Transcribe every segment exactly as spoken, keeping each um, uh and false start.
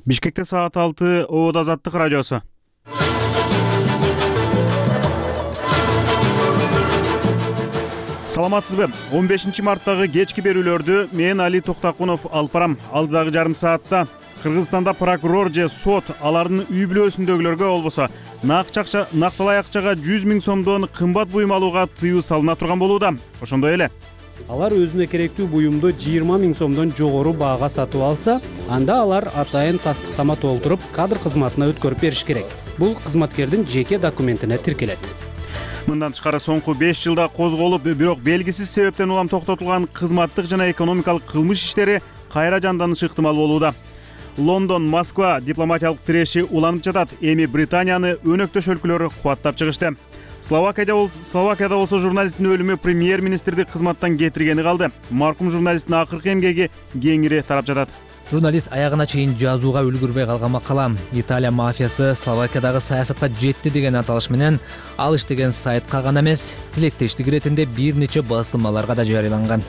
Бишкекте саат алты, Обод Азаттык радиосу. Саламатсызбы? он бешинчи марттагы кечки берүүлөрдү мен Али Токтакунов алып барам. Алдыдагы жарым саатта Кыргызстанда прокурор же сот алардын үй бүлөсүндөгүлөргө болбосо накча акча, накталай акчага жүз миң сомдон кымбат буюм алууга тыюу салына турган болууда. Ошондой эле алар өзүнө керектүү буюмду жыйырма миң сомдон жогору баага сатып алса, анда алар атайын тастыктама толтуруп, кадр кызматына өткөрүп бериш керек. Бул кызматкердин жеке документине тиркелет. Мындан тышкары соңку беш жылда козголуп, бирок белгисиз себептен улам токтотулган кызматтык жана экономикалык кылмыш иштери кайра жанданышы ыктымал болууда. Лондон, Москва дипломатиялык тиреши уланып жатат. Эми Британияны өнөктөш өлкөлөр кубаттап чыгышты. Словакияда бол Словакияда болсо журналисттин өлүмү премьер-министрди кызматтан кетиргени калды. Маркум журналисттин акыркы эмгеги кеңири тарап жатат. Журналист аягына чейин жазууга үлгүрбөй калган макала Италия мафиясы Словакиядагы саясатка жетти деген аталыш менен ал иштеген сайтка гана эмес, тилектештик иретинде бир нече басылмаларга да жарыяланган.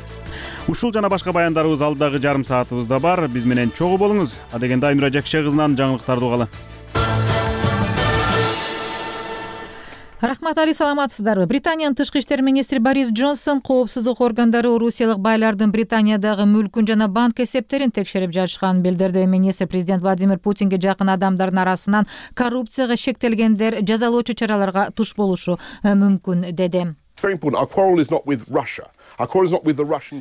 Ушул жана башка баяндарыбыз алдыдагы жарым саатыбызда бар. Биз менен чогуу болуңуз. Адегенде Аймира Жакше кызынан жаңылыктарды угалы. Рахмат, Али, саламатсыздарбы? Британиянын тышкы иштер министри Борис Джонсон коопсуздук органдары орусиялык байлардын Британиядагы мүлкүн жана банк эсептерин текшерип жатышканын билдирди. Министр президент Владимир Путинге жакын адамдардын арасынан коррупцияга шектелгендер жазалоочу чараларга туш болушу мүмкүн деди.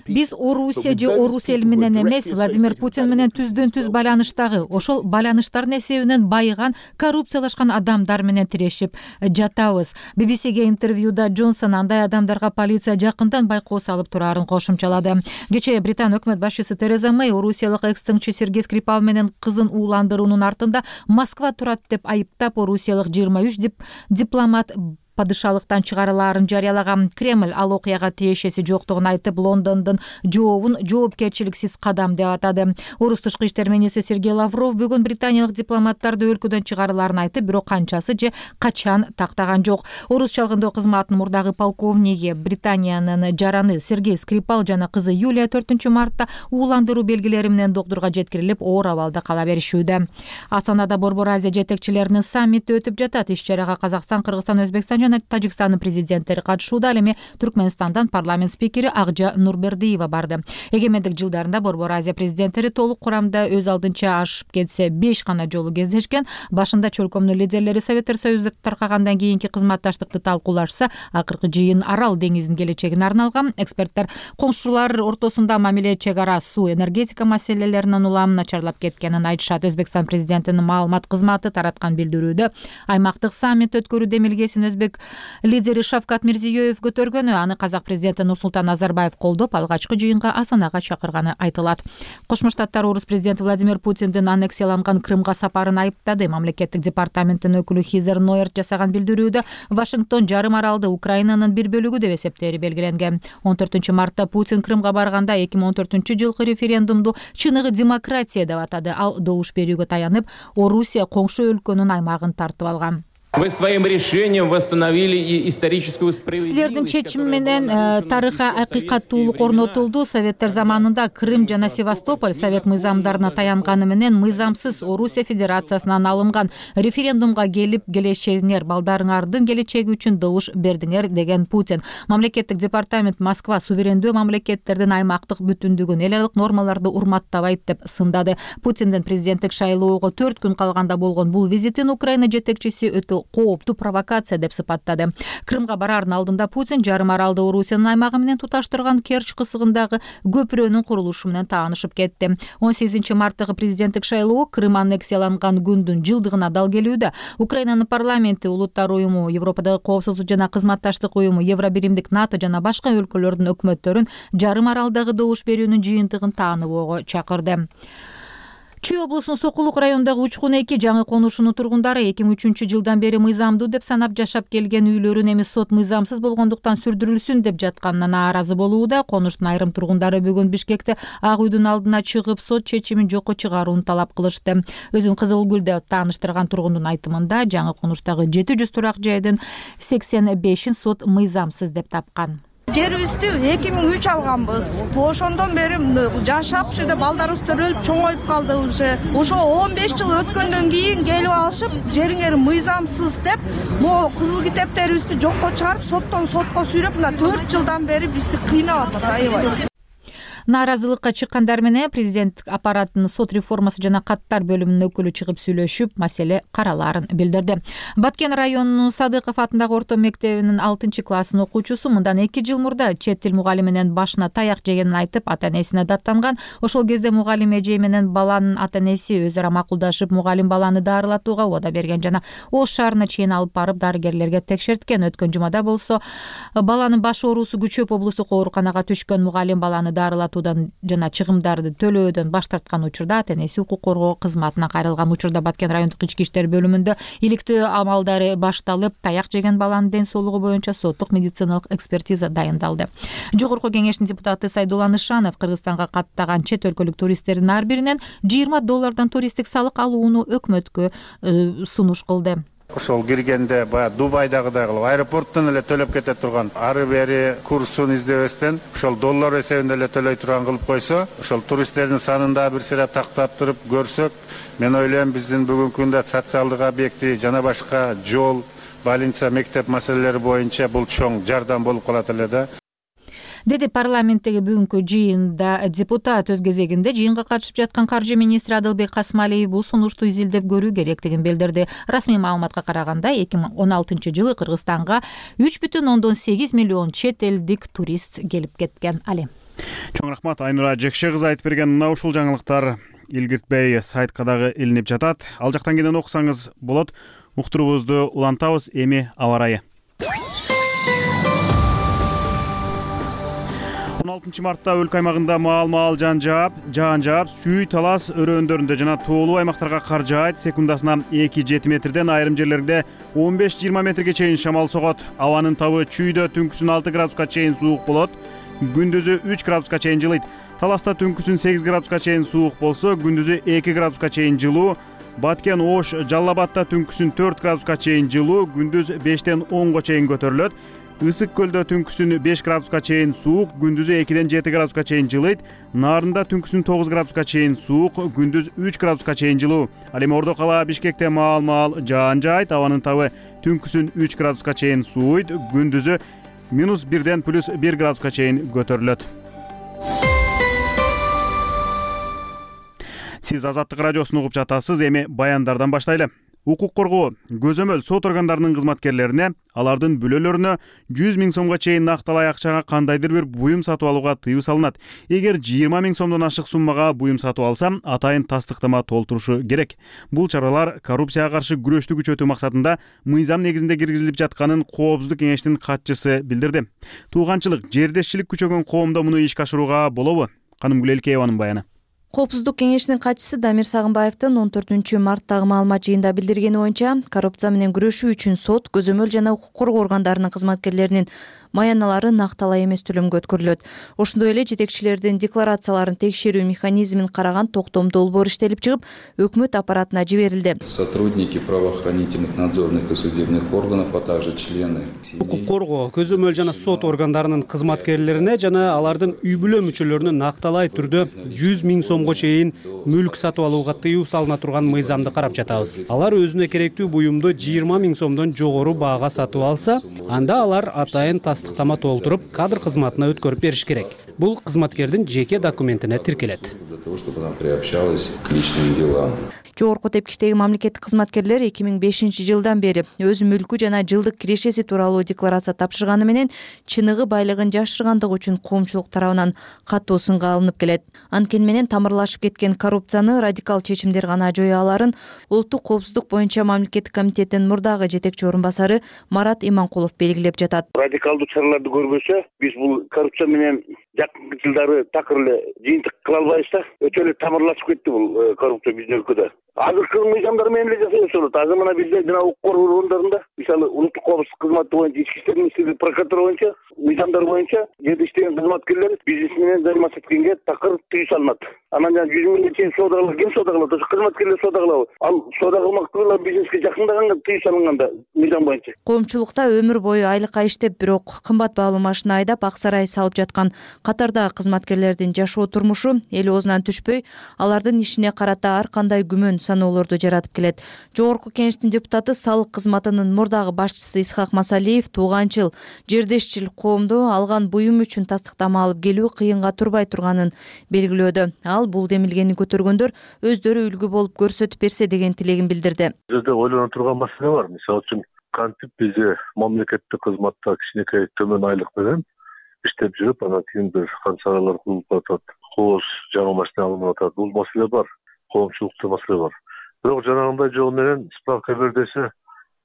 Биз Орусия же Орус эли менен эмес, Владимир Путин менен түздөн түз байланыштагы, ошол байланыштардын эсебинен байыган, коррупциялашкан адамдар менен тирешип жатабыз. би би си-ге интервьюда Джонсон андай адамдарга полиция жакындан байкоо салып турарын кошумчалады. Кечээ Британ өкмөт башчысы Тереза Мэй орусиялык экс-тыңчы Сергей Скрипал менен кызын ууландыруунун артында Москва турат деп айыптап, орусиялык жыйырма үч дип, дипломат падышалыктан чыгарылаарын жарыялаган. Кремль ал окуяга тиешеси жоктугун айтып, Лондондун жообун жоопкерчиликсиз кадам деп атады. Орус тышкы иштер министри Сергей Лавров бүгүн британиялык дипломаттарды өлкөдөн чыгарылаарын айтып, бирок канчасы же качан тактаган жок. Орус чалгындоо кызматынын мурдагы полковниги, Британиянын жараны Сергей Скрипал жана кызы Юлия төртүнчү мартта ууландыруу белгилери менен доктурга жеткирилип, оор абалда кала беришүүдө. Астанада Борбор Азия жетекчилеринин саммити өтүп жатат. Иш-чарага Казакстан, Кыргызстан, Өзбекстан жана Тажикстандын президенттери катышууда. Ал эми Түркмөнстандан парламент спикери Акжа Нурбердиева барды. Эгемендик жылдарында Борбор Азия президенттери толук курамда өз алдынча ашып кетсе беш гана жолу кездешкен. Башында чөлкөмдүн лидерлери Советтер Союзу таркагандан кийинки кызматташтыкты талкуулашса, акыркы жыйын Арал деңизинин келечегине арналган. Эксперттер коңшулар ортосунда мамиле, чек ара, суу, энергетика маселелеринин улам начарлап кеткенин айтышат. Өзбекстан президентинин маалымат кызматы тараткан билдирүүдө аймактык саммит өткөрүү демилгесин өзбек лидери Шавкат Мирзиёев көтөргөнү, аны казак президенти Нурсултан Назарбаев колдоп, алгачкы жыйынга Астанага чакырганы айтылат. Кошмо Штаттар Орус президенти Владимир Путиндин аннексияланган Крымга сапарын айыптады. Мамлекеттик департаменттин өкүлү Хизер Нойерт жасаган билдирүүдө Вашингтон жарым аралды Украинанын бир бөлүгү деп эсептери белгиленген. он төртүнчү мартта Путин Крымга барганда эки миң он төртүнчү жылкы референдумду чыныгы демократия деп атады. Ал добуш берүүгө таянып, Орусия коңшу өлкөнүн аймагын тартып алган. Вы своим решением восстановили историческую справедливость. Силердин чечими менен тарыхый акыйкаттуулук орнотулду. Советтер заманында Крым жана Севастополь совет мыйзамдарына таянганы менен мыйзамсыз Орусия Федерациясынан алынган. Референдумга келип, келечегиңер, балдарыңардын келечеги үчүн добуш бердиңер деген Путин. Мамлекеттик департамент Москва суверендүү мамлекеттердин аймактык бүтүндүгүн, эл аралык нормаларды урматтабайт деп сындады. Путиндин президенттик шайлоого төрт күн калганда болгон бул визитин Украина жетекчиси өтө кооптуу провокация деп сыпаттады. Крымга бараардын алдында Путин жарым аралды Орусиянын аймагы менен туташтырган Керчь кысыгындагы көпүрөнүн курулушу менен таанышып кетти. он сегизинчи марттагы президенттик шайлоо Крым аннексияланган күндүн жылдыгына дал келүүдө. Украинанын парламенти, Улуттар уюму, Европадагы коопсуздук жана кызматташтык уюму, Евробиримдик, НАТО жана башка өлкөлөрдүн өкмөттөрүн жарым аралдагы добуш берүүнүн жыйынтыгын тааныбоого чакырды. Чүй облусунун Сокулук районундагы Учкун эки жаңы конушунун тургундары эки миң үчүнчү жылдан бери мыйзамдуу деп санап жашап келген үйлөрүн эми сот мыйзамсыз болгондуктан сүрдүрүлсүн деп жатканына нааразы болууда. Конуштун айрым тургундары бүгүн Бишкекте Ак үйдүн алдына чыгып, сот чечимин жокко чыгарууну талап кылышты. Өзүн Кызыл Гүлдө тааныштырган тургундун айтымында, жаңы конуштагы жети жүз турак жайдын сексен бешин сот мыйзамсыз деп тапкан. Жерибизди эки миң үч алганбыз. Ошондон бери жашап, ушул жерде балдарыбыз төрөлүп чоңоюп калды уже. Ошо он беш жыл өткөндөн кийин келип алышып, жериңер мыйзамсыз деп, могу кызыл китептерибизди жокко чыгарып, соттон сотко сүйрөп, мына төрт жылдан бери бизди кыйнап атат аябай. Нааразылыкка чыккандар менен президент аппаратынын сот реформасы жана каттар бөлүмүнүн өкүлү чыгып сүйлөшүп, маселе каралаарын билдирди. Баткен районунун Садыков атындагы орто мектебинин алтынчы класстын окуучусу мындан эки жыл мурда чет тил мугалими менен башына таяк жегенин айтып, ата-энесине даттанган. Ошол кезде мугалим эже менен баланын ата-энеси өзара макулдашып, мугалим баланы дарылатууга убада берген жана Ош шаарына чейин алып барып дарыгерлерге текшерткен. Өткөн жумада болсо баланын баш оорусу күчөп облустук ооруканага түшкөн мугалим баланы дарылатуудан жана чыгымдарды төлөөдөн баш тарткан учурда ата-энеси укук коргоо кызматына кайрылган. Учурда Баткен райондук ички иштер бөлүмүндө иликтөө амалдары башталып, таяк жеген баланын ден соолугу боюнча соттук медициналык экспертиза дайындалды. Жогорку кеңештин депутаты Сайдулла Нышанов Кыргызстанга каттаган чет өлкөлүк туристтердин ар биринен жыйырма доллардан туристтик салык алууну өкмөткө сунуш кылды. Ошол киргенде баягы Дубайдагыдай кылып аэропорттон эле төлөп кете турган, ары бери курсун издебестен ошол доллар эсебинде эле төлөй турган кылып койсо, ошол туристтердин санын да бир сыйра тактап туруп көрсөк, мен ойлойм биздин бүгүнкү күндө социалдык объекти жана башка жол, больница, мектеп маселелери боюнча бул чоң жардам болуп калат эле да. Деди парламенттеги бүгүнкү жыйында депутат. Өз кезегинде жыйынга катышып жаткан каржы министри Адылбек Касмалиев бул сунушту изилдеп көрүү керектигин билдирди. Расмий маалыматка караганда эки миң он алтынчы жылы Кыргызстанга үч бүтүн ондон сегиз миллион чет элдик турист келип кеткен. Али. Чоң рахмат Айнура Жекше кызы айтып берген мына ушул жаңылыктар илгиртпей сайтка дагы илинип жатат. Ал жактан кийин окусаңыз болот. Уктуруубузду улантабыз. Эми аба ырайы. он алтынчы мартта өлкө аймагында маал-маал жаан жаап, жаан жаап, сүй, талас өрөөндөрүндө жана тоолуу аймактарга кар жаайт. Секундасына эки жети метрден, айрым жерлерде он беш жыйырма метрге чейин шамал согот. Абанын табы чүйдө түнкүсүн алты градуска чейин суук болот. Күндүзү үч градуска чейин жылыйт. Таласта түнкүсүн сегиз градуска чейин суук болсо, күндүзү эки градуска чейин жылуу. Баткен, Ош, Жалал Абадта түнкүсүн төрт градуска чейин жылуу, күндүз бештен онго чейин көтөрүлөт. Ысык көлдө түнкүсүн беш градуска чейин суук, күндүзү экиден жети градуска чейин жылыйт. Нарында түнкүсүн тогуз градуска чейин суук, күндүз үч градуска чейин жылуу. Ал эми Ордо кала Бишкекте маал-маал жаан жаайт. Абанын табы түнкүсүн үч градуска чейин сууйт, күндүзү минус бирден плюс бир градуска чейин көтөрүлөт. Сиз Азаттык радиосун угуп жатасыз. Эми баяндардан баштайлы. Укук коргоо көзөмөл сот органдарынын кызматкерлерине алардын бүлөлөрүнө жүз миң сомго чейин накталай акчага кандайдыр бир буюм сатып алууга тыюу салынат. Эгер жыйырма миң сомдон ашык суммага буюм сатып алса, атайын тастыктама толтурушу керек. Бул чаралар коррупцияга каршы күрөштү күчөтүү максатында мыйзам негизинде киргизилип жатканын Коопсуздук кеңештин катчысы билдирди. Тууганчылык, жердешчилик күчөгөн коомдо муну ишке ашырууга болобу? Каным Гүлелкееванын баяны. Коопсуздук кеңешинин катчысы Дамир Сагынбаевдин он төртүнчү марттагы маалымат жыйында билдиргени боюнча, коррупция менен күрөшүү үчүн сот, көзөмөл жана укук коргоо органдарынын кызматкерлеринин маяналары накталай эмес төлөмгө өткөрүлөт. Ошондой эле жетекчилердин декларацияларын текшерүү механизмин караган токтомдуу долбоор иштелип чыгып, өкмөт аппаратына жиберилди. Сотрудники правоохранительных надзорных и судебных органов, а также члены укук коргоо, көзөмөл жана сот органдарынын кызматкерлерине жана алардын үй бүлө мүчөлөрүнө накталай түрдө жүз миң сомго чейин мүлк сатып алууга тыюу салына турган мыйзамды карап жатабыз. Алар өзүнө керектүү буюмду жыйырма миң сомдон жогору баага сатып алса, анда алар атайын тастыктама толтуруп, кадр кызматына өткөрүп бериш керек. Бул кызматкердин жеке документине тиркелет. для того, чтобы она приобщалась к личным делам. Жогорку тепкичтеги мамлекеттик кызматкерлер эки миң бешинчи жылдан бери өз мүлкү жана жылдык кирешеси тууралуу декларация тапшырганы менен чыныгы байлыгын жашыргандыгы үчүн коомчулук тарабынан катуу сынга алынып келет. Анткени менен тамырлашып кеткен коррупцияны радикал чечимдер гана жоя аларын Улуттук коопсуздук боюнча мамлекеттик комитеттин мурдагы жетекчи орун басары Марат Иманкулов белгилеп жатат. Радикалдуу чараларды көрбөсө, биз бул коррупция менен жакынкы жылдары такыр эле жыйынтык кыла албайбыз да. Өтө эле тамырлашып кетти бул коррупция биздин өлкөдө. азыркы мыйзамдар менен эле жасалса болот. Азыр мына бизде жана укук коргоо органдарында, мисалы улуттук коопсуздук кызматы боюнча, ички иштер министрлиги, прокуратура боюнча, мыйзамдар боюнча жерде иштеген кызматкерлер бизнес менен займаняться эткенге такыр тыюу салынат. Анан жана жүз миңге чейин соода кылат, ким соода кылат? Ошо кызматкерлер соода кылабы? Ал соода кылмактуулар бизнеске жакындаганга тыюу салынганда мыйзам боюнча. Коомчулукта өмүр бою айлыкка иштеп, бирок кымбат баалуу машина айдап ак сарай салып жаткан катардагы кызматкерлердин жашоо турмушу эл оозунан түшпөй, алардын ишине карата ар кандай күмөн саноолорду жаратып келет. Жогорку кеңештин депутаты салык кызматынын мурдагы башчысы Исхак Масалиев тууганчыл, жердешчил коомду алган буюм үчүн тастыктама алып келүү кыйынга турбай турганын белгилөөдө. Ал бул демилгени көтөргөндөр өздөрү үлгү болуп көрсөтүп берсе деген тилегин билдирди. Жерде ойлоно турган маселе бар. Мисалы үчүн кантип бизде мамлекеттик кызматта кичинекей төмөн айлык менен иштеп жүрүп, анан кийин бир канчалар кылып атат, кооз жаңы машина алынып атат. Бул маселе бар. Коомчулукта маселе бар. Бирок жанагындай жол менен справка бер десе,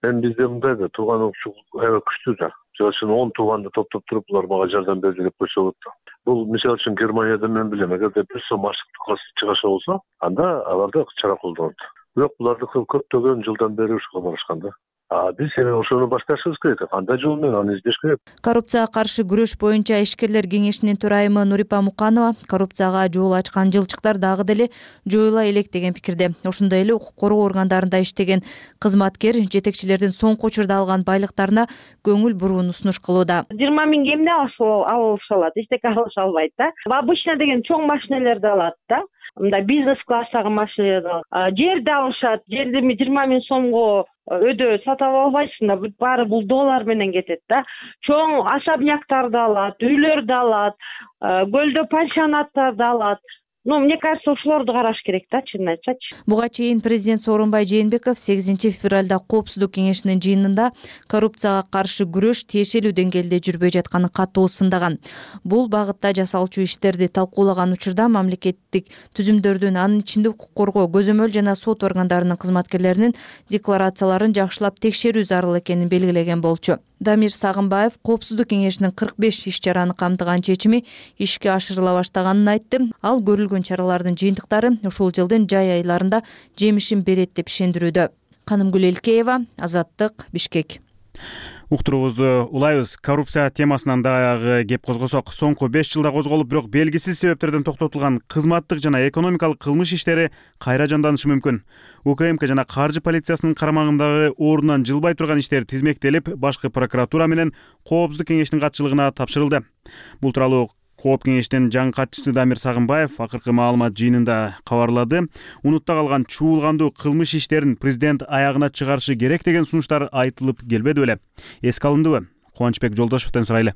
эми бизде мындай да тууган укчулук аябай күчтүү да. Мисалы үчүн он тууганды топтоп туруп, булар мага жардам берди деп койсо болот да. Бул мисалы үчүн Германияда мен билем, эгерде бир сом аштык чыгаша болсо, анда аларда чара колдонот. Бирок булардыкы көптөгөн жылдан бери ушуга барышкан да. А биз эми ошону башташыбыз керек. Кандай жол менен аны издеш керек. Коррупцияга каршы күрөш боюнча ишкерлер кеңешинин төрайымы Нурипа Муканова коррупцияга жол ачкан жылчыктар дагы деле жоюла элек деген пикирде. Ошондой эле укук коргоо органдарында иштеген кызматкер жетекчилердин соңку учурда алган байлыктарына көңүл бурууну сунуш кылууда. жыйырма миң эмне алыша алат, эчтеке алыша албайт да. Обычно деген чоң машинелерди алат да. Мындай бизнес класстагы машинелерди алат. Жерди алышат, жерди жыйырма миң сомго өдө сатып албайсың да, баары бул доллар менен кетет да. Чоң особняктарды алат, үйлөрдү алат, көлдө пансионаттарды алат. Ну, мне кажется, ошолорду караш керек да, чынын айтсачы. Буга чейин президент Сооронбай Жээнбеков сегизинчи февралда Коопсуздук кеңешинин жыйынында коррупцияга каршы күрөш тиешелүү деңгээлде жүрбөй жатканын катуу сындаган. Бул багытта жасалчу иштерди талкуулаган учурда мамлекеттик түзүмдөрдүн, анын ичинде укук коргоо, көзөмөл жана сот органдарынын кызматкерлеринин декларацияларын жакшылап текшерүү зарыл экенин белгилеген болчу. Дамир Сагынбаев Коопсуздук кеңешинин кырк беш иш-чараны камтыган чечими ишке ашырыла баштаганын айтты. Ал көрүлгөн чаралардын жыйынтыктары ушул жылдын жай айларында жемишин берет деп ишендирүүдө. Канымгүл Элкеева, Азаттык, Бишкек. Уктуруубузду улайбыз. Коррупция темасынан дагы кеп козгосок, соңку беш жылда козголуп, бирок белгисиз себептерден токтотулган кызматтык жана экономикалык кылмыш иштери кайра жанданышы мүмкүн. УКМК жана каржы полициясынын карамагындагы ордунан жылбай турган иштер тизмектелип, башкы прокуратура менен Коопсуздук кеңешинин катчылыгына тапшырылды. Бул тууралуу Кооп кеңештин жаңы катчысы Дамир Сагынбаев акыркы маалымат жыйынында кабарлады. Унутта калган чуулгандуу кылмыш иштерин президент аягына чыгарышы керек деген сунуштар айтылып келбеди беле. Эске алындыбы? Кубанычбек Жолдошевден сурайлы.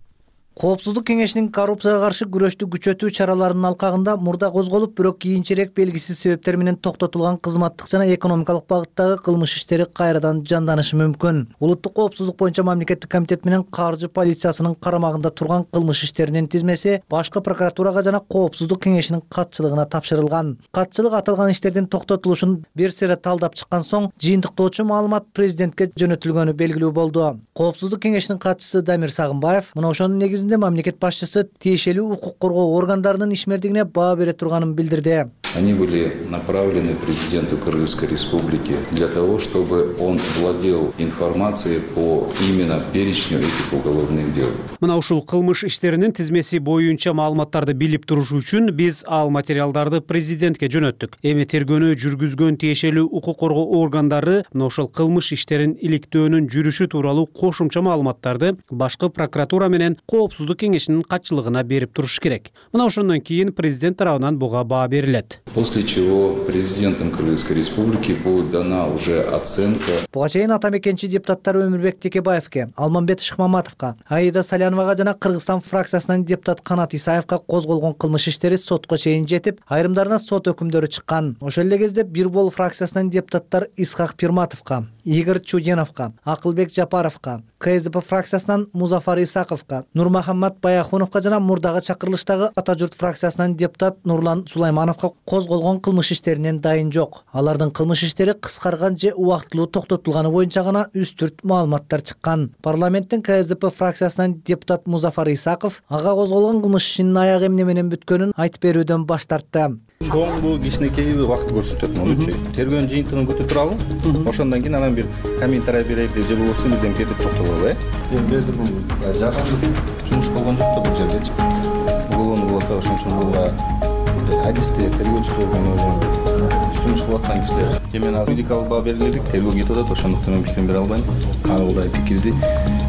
Коопсуздук кеңешинин коррупцияга каршы күрөштү күчөтүү чараларынын алкагында мурда козголуп, бирок кийинчерээк белгисиз себептер менен токтотулган кызматтык жана экономикалык багыттагы кылмыш иштери кайрадан жанданышы мүмкүн. Улуттук коопсуздук боюнча мамлекеттик комитет менен каржы полициясынын карамагында турган кылмыш иштеринин тизмеси башкы прокуратурага жана Коопсуздук кеңешинин катчылыгына тапшырылган. Катчылык аталган иштердин токтотулушун бир сере талдап чыккан соң, жыйынтыктоочу маалымат президентке жөнөтүлгөнү белгилүү болду. Коопсуздук кеңешинин катчысы Дамир Сагынбаев мына ошонун негизинде мамлекет башчысы тиешелүү укук коргоо органдарынын ишмердигине баа бере турганын билдирди. Они были направлены президенту Кыргызской Республики для того, чтобы он владел информацией по именно перечню этих уголовных дел. Мына ушул кылмыш иштеринин тизмеси боюнча маалыматтарды билип туруш үчүн биз ал материалдарды президентке жөнөттүк. Эми тергөөнү жүргүзгөн тиешелүү укук коргоо органдары мына ошол кылмыш иштерин иликтөөнүн жүрүшү тууралуу кошумча маалыматтарды башкы прокуратура менен Коопсуздук кеңешинин катчылыгына берип туруш керек. Мына ошондон кийин президент тарабынан буга баа берилет. После чего президентом Кыргызской Республики будет дана уже оценка. Буга чейин ата мекенчи депутаттар Өмүрбек Текебаевке, Алмамбет Шыкмаматовго, Аида Саляновага жана Кыргызстан фракциясынан депутат Канат Исаевка козголгон кылмыш иштери сотко чейин жетип, айрымдарына сот өкүмдөрү чыккан. Ошол эле кезде Бир Бол фракциясынан депутаттар Исхак Пирматовго, Игорь Чуденовго, Акылбек Жапаровго, КСДП фракциясынан Музафар Исаковго, Нурмахаммат Баяхуновго жана мурдагы чакырылыштагы Ата журт фракциясынан депутат Нурлан Сулаймановго козголгон кылмыш иштеринен дайын жок. Алардын кылмыш иштери кыскарган же убактылуу токтотулганы боюнча гана үстүрт маалыматтар чыккан. Парламенттин ка эс дэ пэ фракциясынан депутат Музафар Исаков ага козголгон кылмыш ишинин аягы эмне менен бүткөнүн айтып берүүдөн баш тартты. Чоң бул кичинекейби убакыт көрсөтөт монучу. Тергөөнүн жыйынтыгын күтүп туралы. Ошондон кийин анан бир комментарий берели же болбосо бирдемке деп токтололу, э? Эми берди бул жакын жумуш болгон жок да бул жерде. Уголовный болот ошон үчүн бул адисте тергөөчүлөр менен жумуш кылып аткан кишилер. Эми азыр юридикалык баа берилдик, тергөө кетип атат, ошондуктан мен пикирим бере албайм. Аны кандай пикирди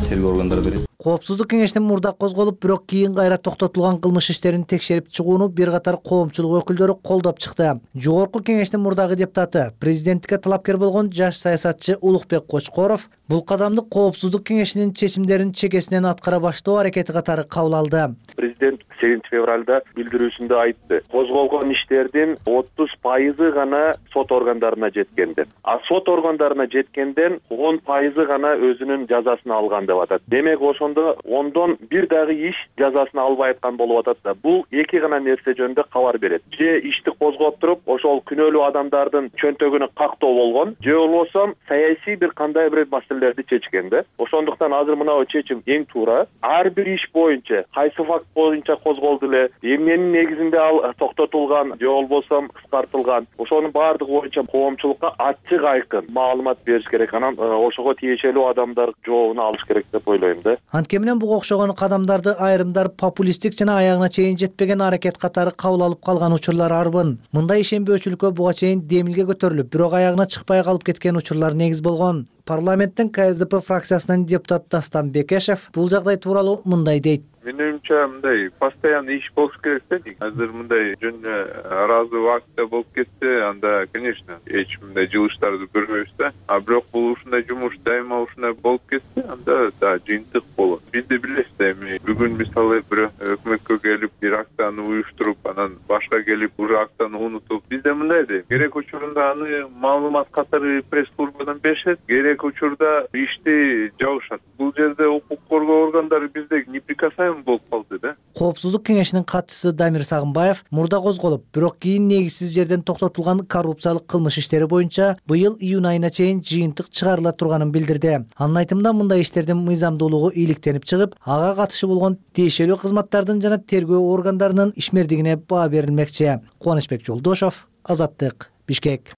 тергөө органдары берет. Коопсуздук кеңешинин мурда козголуп, бирок кийин кайра токтотулган кылмыш иштерин текшерип чыгууну бир катар коомчулук өкүлдөрү колдоп чыкты. Жогорку кеңештин мурдагы депутаты, президенттикке талапкер болгон жаш саясатчы Улукбек Кочкоров бул кадамды коопсуздук кеңешинин чечимдерин чекесинен аткара баштоо аракети катары кабыл алды. Президент сегизинчи февралда билдирүүсүндө айтты. Козголгон иштердин отуз пайызы гана сот органдарына жеткен деп. А сот органдарына жеткенден он пайызы гана өзүнүн жазасын алган деп атат. Демек ошондо ондон бир дагы иш жазасын албай аткан болуп атат да. Бул эки гана нерсе жөнүндө кабар берет. Же ишти козгоп туруп, ошол күнөөлүү адамдардын чөнтөгүнө кактоо болгон, же болбосо саясий бир кандай бир маселелерди чечкен да. Ошондуктан азыр мынау чечим эң туура. Ар бир иш боюнча, кайсы факт боюнча козголду эле, эмненин негизинде ал токтотулган, же болбосо кыскартылган, ошонун баардыгы боюнча коомчулукка ачык айкын маалымат бериш керек. Анан ошого тиешелүү адамдар жообун алыш керек деп ойлойм да. Анткени буга окшогон кадамдарды айрымдар популисттик жана аягына чейин жетпеген аракет катары кабыл алып калган учурлар арбын. Мындай ишенбөөчүлүккө буга чейин демилге көтөрүлүп, бирок аягына чыкпай калып кеткен учурлар негиз болгон. Парламенттин ка эс дэ пэ фракциясынын депутаты Дастан Бекешев бул жагдай тууралуу мындай дейт. Менин оюмча мындай постоянный иш болуш керек да. Азыр мындай жөн ыраазы убакытта болуп кетсе, анда, конечно, эч мындай жылыштарды көрбөйбүз да. А бирок бул ушундай жумуш дайыма ушундай болуп кетсе, анда да жыйынтык болот. Биз да билебиз да, эми бүгүн мисалы бир өкмөткө келип бир акцияны уюштуруп, анан башка келип уже акцияны унутуп, биз да мындай дейм. Керек учурунда аны маалымат катары пресс-службадан беришет, керек учурда ишти жабышат. Бул жерде укук коргоо органдары бизде неприкасаемый болуп калды да. Коопсуздук кеңешинин катчысы Дамир Сагынбаев мурда козголуп, бирок кийин негизсиз жерден токтотулган коррупциялык кылмыш иштери боюнча быйыл июнь айына чейин жыйынтык чыгарыла турганын билдирди. Анын айтымында мындай иштердин мыйзамдуулугу ийгиликтенип чыгып, ага катышы болгон тиешелүү кызматтардын жана тергөө органдарынын ишмердигине баа берилмекчи. Кубанычбек Жолдошов, Азаттык, Бишкек.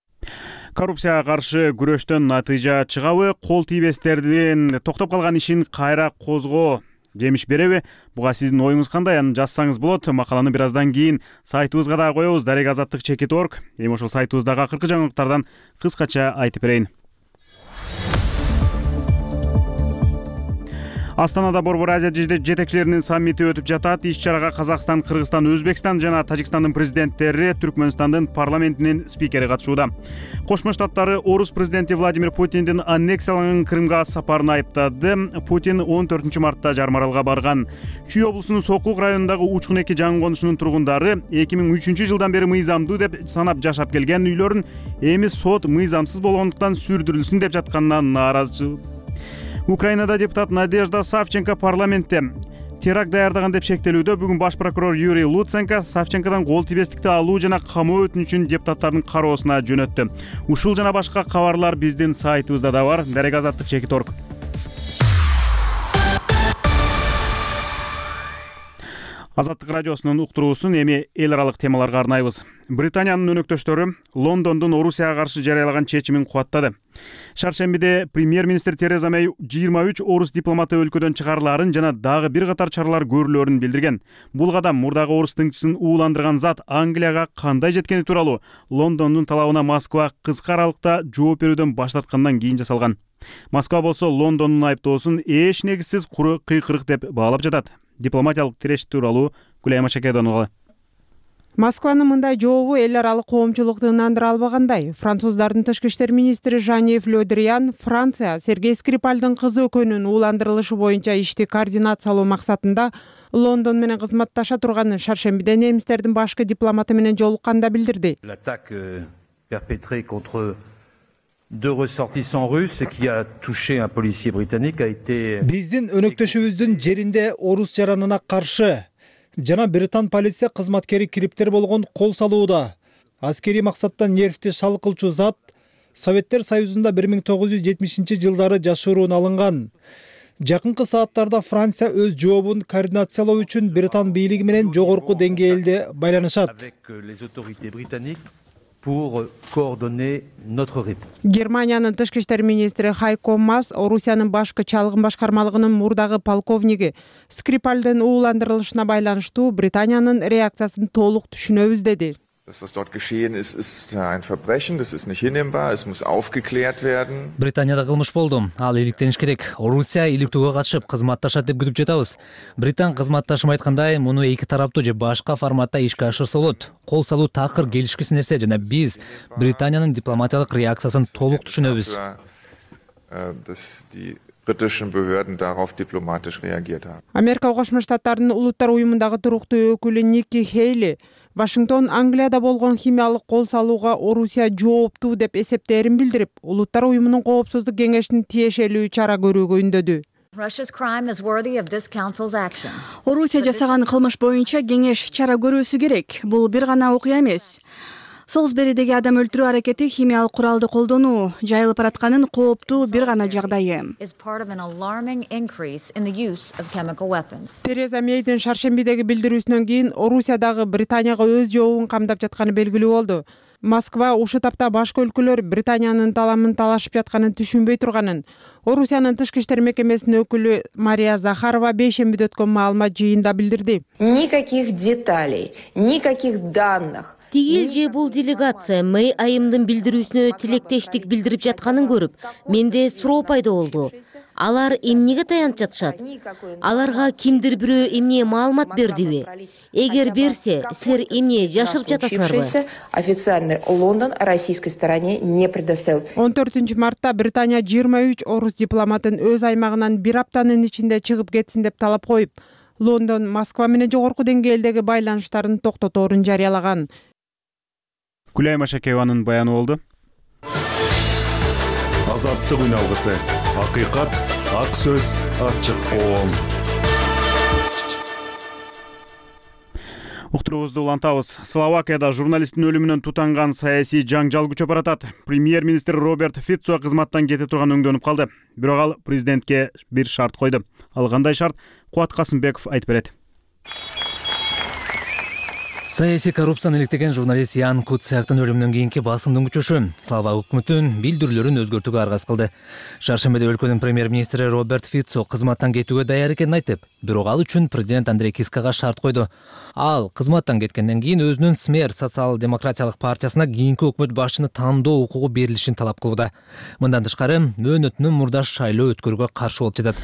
Коррупцияга каршы күрөштөн натыйжа чыгабы, кол тийбестердин токтоп калган ишин кайра козгоо жемиш береби? Буга сиздин оюңуз кандай? Аны жазсаңыз болот. Макаланы бир аздан кийин сайтыбызга да коебуз, дарек азаттык чекит точка орг. Эми ошол сайтыбыздагы акыркы жаңылыктардан кыскача айтып берейин. Астанада Борбор Азия жетекчилеринин саммити өтүп жатат. Иш-чарага Казакстан, Кыргызстан, Өзбекстан жана Тажикстандын президенттери, Түркмөнстандын парламентинин спикери катышууда. Кошмо Штаттары орус президенти Владимир Путиндин аннексияланган Крымга сапарын айыптады. Путин он төртүнчү мартта Жармаралга барган. Чүй облусунун Сокулук районундагы Учкун эки жаңы конушунун тургундары эки миң үчүнчү жылдан бери мыйзамдуу деп санап жашап келген үйлөрүн эми сот мыйзамсыз болгондуктан сүрдүрүлсүн деп жатканына нааразы. Украинада депутат Надежда Савченко парламентте теракт даярдаган деп шектелүүдө. Бүгүн баш прокурор Юрий Луценко Савченкодан кол тийбестикти алуу жана камоо өтүнүчүн депутаттардын кароосуна жөнөттү. Ушул жана башка кабарлар биздин сайтыбызда да бар. дарек азаттык чекит точка орг. Азаттык радиосунун уктуруусун эми эл аралык темаларга арнайбыз. Британиянын өнөктөштөрү Лондондун Орусияга каршы жарыялаган чечимин кубаттады. Шаршембиде премьер-министр Тереза Мэй жыйырма үч орус дипломаты өлкөдөн чыгарылаарын жана дагы бир катар чаралар көрүлөрүн билдирген. Бул кадам мурдагы орус тыңчысын ууландырган зат Англияга кандай жеткени тууралуу Лондондун талабына Москва кыска аралыкта жооп берүүдөн баш тарткандан кийин жасалган. Москва болсо Лондондун айыптоосун эч негизсиз куру кыйкырык деп баалап жатат. Дипломатиялык тиреш тууралуу Гүлай Машакедонова. Москванын мындай жообу эл аралык коомчулукту ынандыра албагандай. Француздардын тышкы иштер министри Жан-Йев Ле Дриан Франция Сергей Скрипальдын кызы экөөнүн ууландырылышы боюнча ишти координациялоо максатында Лондон менен кызматташа турганын шаршембиде немистердин башкы дипломаты менен жолукканда билдирди. L'attaque perpétrée contre deux ressortissants russes qui a touché un policier britannique a été Биздин өнөктөшүбүздүн жеринде орус жаранына каршы жана британ полиция кызматкери кириптер болгон кол салууда. аскерий максаттан нервти шалкылчу зат Советтер Союзунда бир миң тогуз жүз жетимишинчи жылдары жашыруун алынган. Жакынкы сааттарда Франция өз жообун координациялоо үчүн Британ бийлиги менен жогорку деңгээлде байланышат. Германиянын тышкы иштер министри Хайко Мас Орусиянын башкы чалгын башкармалыгынын мурдагы полковниги Скрипальдын ууландырылышына байланыштуу Британиянын реакциясын толук түшүнөбүз деди. Das, was dort geschehen ist, ist ein Verbrechen, das ist nicht hinnehmbar, es muss aufgeklärt werden. Британияда кылмыш болду. Ал иликтениш керек. Орусия иликтөөгө катышып кызматташат деп күтүп жатабыз. Британ кызматташым айткандай, муну эки тараптуу же башка форматта ишке ашырса болот. Кол салуу такыр келишкис нерсе жана биз Британиянын дипломатиялык реакциясын толук түшүнөбүз. Dass die britischen Behörden darauf diplomatisch reagiert haben. Америка Кошмо Штаттарынын улуттар уюмундагы туруктуу өкүлү Ники Хейли Вашингтон Англияда болгон химиялык кол салууга Орусия жооптуу деп эсептээрин билдирип, улуттар уюмунун коопсуздук кеңешинин тиешелүү чара көрүүгө үндөдү. Орусия жасаган кылмыш боюнча кеңеш чара көрүүсү керек. Бул бир гана окуя эмес. Солсберидеги адам өлтүрүү аракети химиялык куралды колдонуу жайылып баратканын кооптуу бир гана жагдайы. Тереза Мейдин шаршембидеги билдирүүсүнөн кийин Орусиядагы Британияга өз жообун камдап жатканы белгилүү болду. Москва ушул тапта башка өлкөлөр Британиянын таламын талашып жатканын түшүнбөй турганын Орусиянын тышкы иштер мекемесинин өкүлү Мария Захарова бейшембиде өткөн маалымат жыйында билдирди. Никаких деталей, никаких данных. Тигил же бул делегация Мэй айымдын билдирүүсүнө тилектештик билдирип жатканын көрүп, менде суроо пайда болду. Алар эмнеге таянып жатышат? Аларга кимдир бирөө эмне маалымат бердиби? Эгер берсе, силер эмне жашырып жатасыңарбы? Официальный Лондон российской стороне не предоставил. он төртүнчү мартта Британия жыйырма үч орус дипломатын өз аймагынан бир аптанын ичинде чыгып кетсин деп талап коюп, Лондон Москва менен жогорку деңгээлдеги байланыштарын токтоторун жарыялаган. Күләй Машакееванын баяны болду. Азаттык үн алгысы, акыйкат, ак сөз, ачык коом. Уктуруубузду улантабыз. Словакияда журналисттин өлүмүнөн тутанган саясий жаңжал күчөп баратат. Премьер-министр Роберт Фицо кызматтан кете турган өңдөнүп калды. Бирок ал президентке бир шарт койду. Ал кандай шарт? Кубат Касымбеков айтып берет. Саясий коррупцияны иликтеген журналист Ян Куцяктын өлүмүнөн кийинки басымдын күчөшү Словак өкмөтүнүн билдирүүлөрүн өзгөртүүгө аргасыз кылды. Шаршембиде өлкөнүн премьер-министри Роберт Фицо кызматтан кетүүгө даяр экенин айтып, бирок ал үчүн президент Андрей Кискага шарт койду. Ал кызматтан кеткенден кийин өзүнүн СМЕР социал-демократиялык партиясына кийинки өкмөт башчыны тандоо укугу берилишин талап кылууда. Мындан тышкары, мөөнөтүнүн мурдаш шайлоо өткөрүүгө каршы болуп жатат.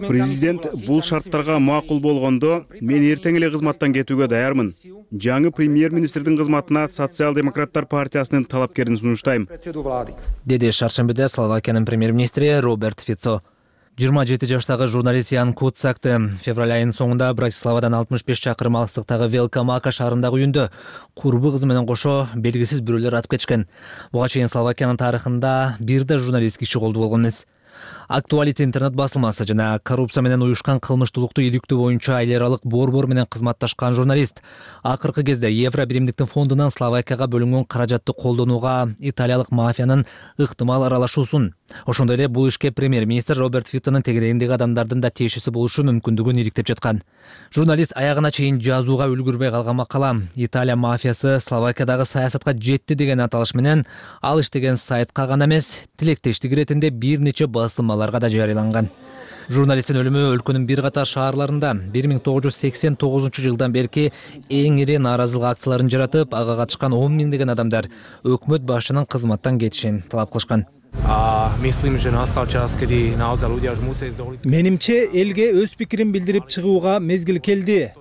Президент бул шарттарга макул болгондо, мен эртең эле кызматтан кетүүгө даярмын. Жаңы премьер-министрдин кызматына социал-демократтар партиясынын талапкерин сунуштайм, деди шаршембиде Словакиянын премьер-министри Роберт Фицо. жыйырма жети жаштагы журналист Ян Куцакты февраль айынын соңунда Братиславадан алтымыш беш чакырым алыстыктагы Велкомака шаарындагы үйүндө курбу кызы менен кошо белгисиз бирөөлөр атып кетишкен. Буга чейин Словакиянын тарыхында бир да журналист киши колду болгон эмес. Актуалити интернет басылмасы жана коррупция менен уюшкан кылмыштуулукту иликтөө боюнча ай аралык борбор менен кызматташкан журналист акыркы кезде Евро биримдиктин фондунан Словакияга бөлүнгөн каражатты колдонууга италиялык мафиянын ыктымал аралашуусун, ошондой эле бул ишке премьер-министр Роберт Фицонун тегерегиндеги адамдардын да тиешеси болушу мүмкүндүгүн иликтеп жаткан. Журналист аягына чейин жазууга үлгүрбөй калган макала Италия мафиясы Словакиядагы саясатка жетти деген аталыш менен ал иштеген сайтка гана эмес, тилектештик иретинде бир нече басылмаларга да жарыяланган. Журналисттин өлүмү өлкөнүн бир катар шаарларында бир миң тогуз жүз сексен тогузунчу жылдан берки эң ири нааразылык акцияларын жаратып, ага катышкан он миңдеген адамдар өкмөт башчынын кызматтан кетишин талап кылышкан. Менимче элге өз пикирин билдирип чыгууга мезгил келди.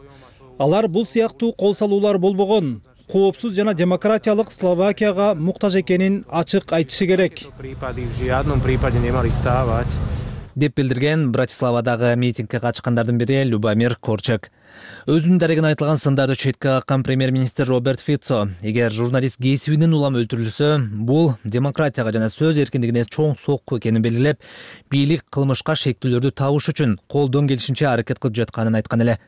Алар бул сыяктуу кол салуулар болбогон, коопсуз жана демократиялык Словакияга муктаж экенин ачык айтышы керек, деп билдирген Братиславадагы митингге катышкандардын бири Любомир Корчак. Өзүнүн дарегине айтылган сындарды четке каккан премьер-министр Роберт Фицо, эгер журналист кесибинен улам өлтүрүлсө, бул демократияга жана сөз эркиндигине чоң сокку экенин белгилеп, бийлик кылмышка шектүүлөрдү табыш үчүн колдон келишинче аракет кылып жатканын айткан эле.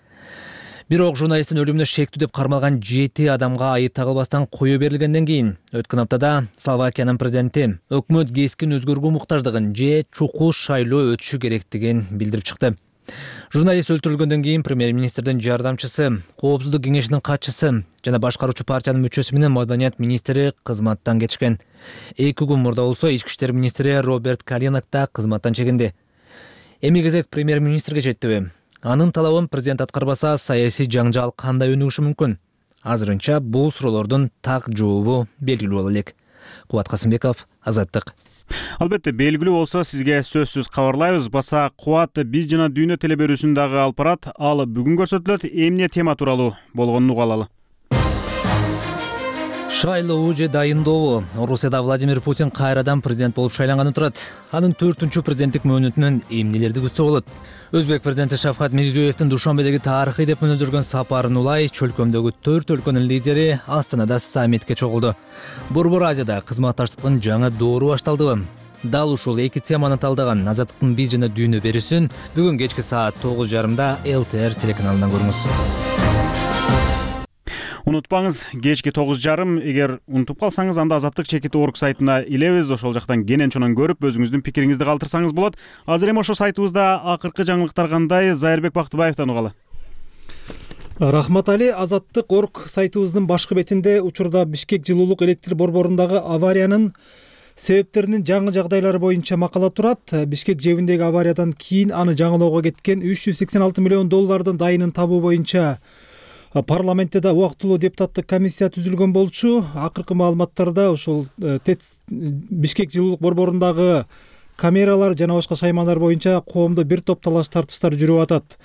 Бирок журналисттин өлүмүнө шектүү деп кармалган жети адамга айып тагылбастан кое берилгенден кийин өткөн аптада Словакиянын президенти өкмөт кескин өзгөрүүгө муктаждыгын же чукул шайлоо өтүшү керектигин билдирип чыкты. Журналист өлтүрүлгөндөн кийин премьер-министрдин жардамчысы, коопсуздук кеңешинин катчысы жана башкаруучу партиянын мүчөсү менен маданият министри кызматтан кетишкен. Эки күн мурда болсо ички иштер министри Роберт Калинак да кызматтан чегинди. Эми кезек премьер-министрге жетти. Анын талабын президент аткарбаса, саясий жаңжал кандай өнүгүшү мүмкүн? Азырынча бул суроолордун так жообу белгилүү боло элек. Кубат Касымбеков, Азаттык. Албетте, белгилүү болсо сизге сөзсүз кабарлайбыз. Баса Кубат биз жана дүйнө теле берүүсүн дагы алып барат. Ал бүгүн көрсөтүлөт. Эмне тема тууралуу болгонун уга алалы. Шайлоо же дайындообу? Орусияда Владимир Путин кайрадан президент болуп шайланганы турат. Анын төртүнчү президенттик мөөнөтүнөн эмнелерди күтсө болот? Өзбек президенти Шавкат Мирзиёевдин Душанбедеги тарыхый деп мүнөздөргөн сапарын улай чөлкөмдөгү төрт өлкөнүн лидери Астанада саммитке чогулду. Борбор Азияда кызматташтыктын жаңы доору башталдыбы? Дал ушул эки теманы талдаган Азаттыктын биз жана дүйнө берүүсүн бүгүн кечки саат тогуз жарымда эл тэ эр телеканалынан көрүңүз. Унутпаңыз, кечки тогуз жарым, эгер унутуп калсаңыз, анда Азаттык чекит орг сайтына илебиз. Ошол жактан кенен чонон көрүп, өзүңүздүн пикириңизди калтырсаңыз болот. Азыр эми ошол сайтыбызда акыркы жаңылыктар кандай? Зайырбек Бактыбаевден угалы. Рахмат Али, Азаттык орг сайтыбыздын башкы бетинде учурда Бишкек жылуулук электр борборундагы авариянын себептеринин жаңы жагдайлары боюнча макала турат. Бишкек жебиндеги авариядан кийин аны жаңылоого кеткен үч жүз сексен алты миллион доллардын дайынын табуу боюнча парламентте да убактылуу депутаттык комиссия түзүлгөн болчу. Акыркы маалыматтарда ушул ТЭЦ Бишкек жылуулук борборундагы камералар жана башка шаймандар боюнча коомдо бир топ талаш тартыштар жүрүп атат.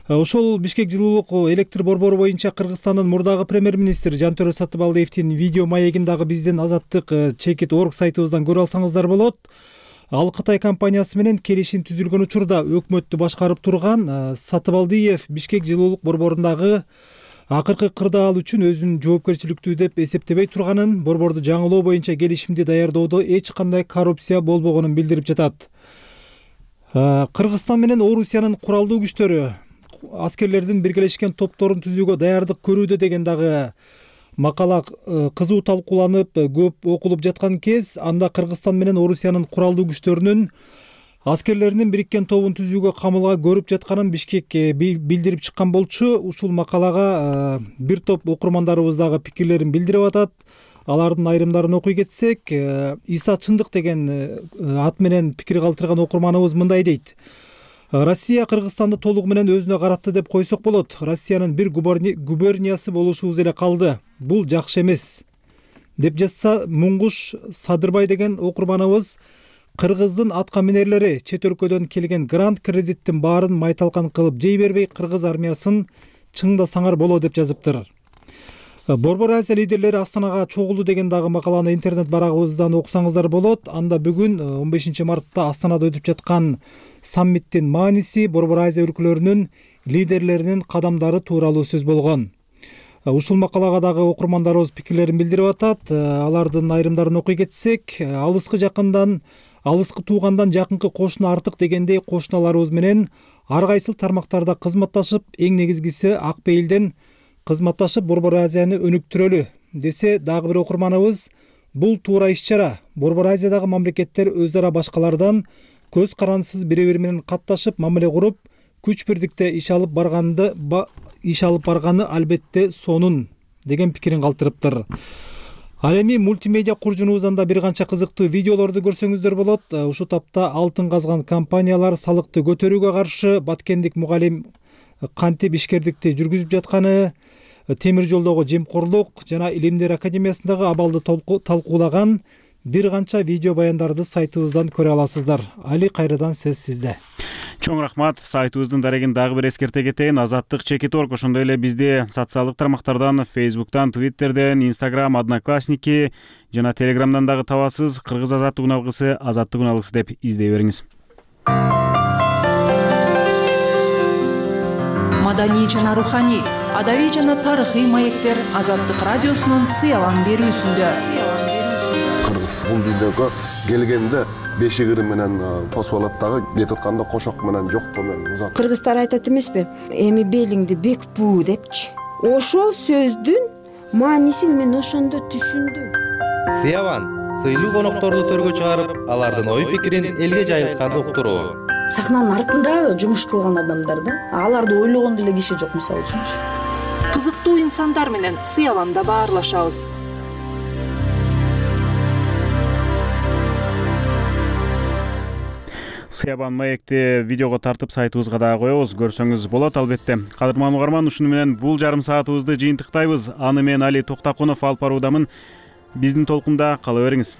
Ошол Бишкек жылуулук электр борбору боюнча Кыргызстандын мурдагы премьер-министри Жантөрө Сатыбалдиевдин видео маегин дагы биздин Азаттык чекит орг сайтыбыздан көрө алсаңыздар болот. Ал Кытай компаниясы менен келишим түзүлгөн учурда өкмөттү башкарып турган Сатыбалдиев Бишкек жылуулук борборундагы акыркы кырдаал үчүн өзүн жоопкерчиликтүү деп эсептебей турганын, борборду жаңылоо боюнча келишимди даярдоодо эч кандай коррупция болбогонун билдирип жатат. Кыргызстан менен Орусиянын куралдуу күчтөрү аскерлердин биргелешкен топторун түзүүгө даярдык көрүүдө деген дагы макала кызуу талкууланып, көп окулуп жаткан кез, анда Кыргызстан менен Орусиянын куралдуу күчтөрүнүн аскерлеринин бириккен тобун түзүүгө камылга көрүп жатканын Бишкек билдирип чыккан болчу. Ушул макалага бир топ окурмандарыбыз дагы пикирлерин билдирип атат. Алардын айрымдарын окуй кетсек, Иса Чындык деген ат менен пикир калтырган окурманыбыз мындай дейт. Россия Кыргызстанды толугу менен өзүнө каратты деп койсок болот. Россиянын бир губерниясы болушубуз эле калды. Бул жакшы эмес, деп жазса Муңгуш Садырбай деген окурманыбыз. Кыргыздын атка минерлери чет өлкөдөн келген грант кредиттин баарын майталкан кылып жей бербей Кыргыз армиясын чыңда саңар боло деп жазыптыр. Борбор Азия лидерлери Астанага чогулду деген дагы макаланы интернет барагыбыздан окусаңыздар болот. Анда бүгүн он бешинчи мартта Астанада өтүп жаткан саммиттин мааниси, Борбор Азия өлкөлөрүнүн лидерлеринин кадамдары тууралуу сөз болгон. Ушул макалага дагы окурмандарыбыз пикирлерин билдирип атат. Алардын айрымдарын окуй кетсек, алыскы жакындан алыскы туугандан жакынкы кошуна артык дегендей кошуналарыбыз менен ар кайсыл тармактарда кызматташып, эң негизгиси ак пейилден кызматташып Борбор Азияны өнүктүрөлү десе, дагы бир окурманыбыз бул туура иш-чара. Борбор Азиядагы мамлекеттер өз ара башкалардан көз карандысыз бири-бири менен катташып, мамиле куруп, күч бирдикте иш алып барганды иш алып барганы албетте сонун деген пикирин калтырыптыр. Ал эми мультимедиа куржунубуздан да бир канча кызыктуу видеолорду көрсөңүздөр болот. Ушул тапта алтын казган компаниялар салыкты көтөрүүгө каршы баткендик мугалим кантип ишкердикти жүргүзүп жатканы, темир жолдогу жемкорлук жана Илимдер академиясындагы абалды талкуулаган бир канча видео баяндарды сайтыбыздан көрө аласыздар. Али, кайрадан сөз сизде. Чоң рахмат. Сайтыбыздын дарегин дагы бир эскерте кетейин. Азаттык чекит орг, ошондой эле бизди социалдык тармактардан, Facebook'тан, Twitter'ден, Instagram, Одноклассники жана Telegram'дан дагы табасыз. Кыргыз азаттык уналгысы, азаттык уналгысы деп издей бериңиз. Маданий жана руханий, адабий жана тарыхый маектер Азаттык радиосунун сыялан берүүсүндө. кыргыз бул дүйнөгө келгенде бешигири менен тосуп алат дагы, кетип атканда кошок менен жоктоо менен узат. Кыргыздар айтат эмеспи, эми белиңди бек буу депчи. Ошол сөздүн маанисин мен ошондо түшүндүм. Сыябан сыйлуу конокторду төргө чыгарып, алардын ой пикирин элге жайылтканды уктуруу. Сахнанын артында жумуш кылган адамдар да, аларды ойлогон деле киши жок, мисалы үчүнчү. Кызыктуу инсандар менен Сыябанда баарлашабыз. Сыябан маекти видеого тартып сайтыбызга дагы коебуз, көрсөңүз болот албетте. Кадырман угарман, ушуну менен бул жарым саатыбызды жыйынтыктайбыз. Аны мен Али Токтакунов алып баруудамын. Биздин толкунда кала бериңиз.